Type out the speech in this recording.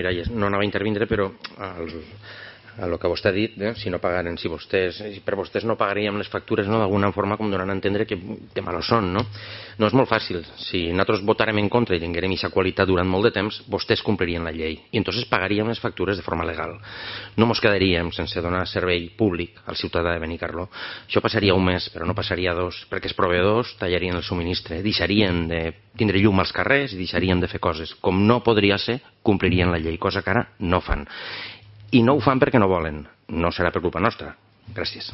Miralles, no anava a intervindre, però el que vostè ha dit, si no pagaren, si per vostès no pagaríem les factures, d'alguna forma com donant a entendre que malos són, no? No és molt fàcil. Si nosaltres votarem en contra i tinguérem aquesta qualitat durant molt de temps, vostès complirien la llei i entonces pagaríem les factures de forma legal. No mos quedaríem sense donar servei públic al ciutadà de Benicarló. Això passaria un mes, però no passaria dos, perquè els proveïdors tallarien el subministre, deixarien de tindre llum als carrers i deixarien de fer coses. Com no podria ser, complirien la llei, cosa que ara no fan. I no ho fan perquè no volen. No serà per culpa nostra. Gràcies.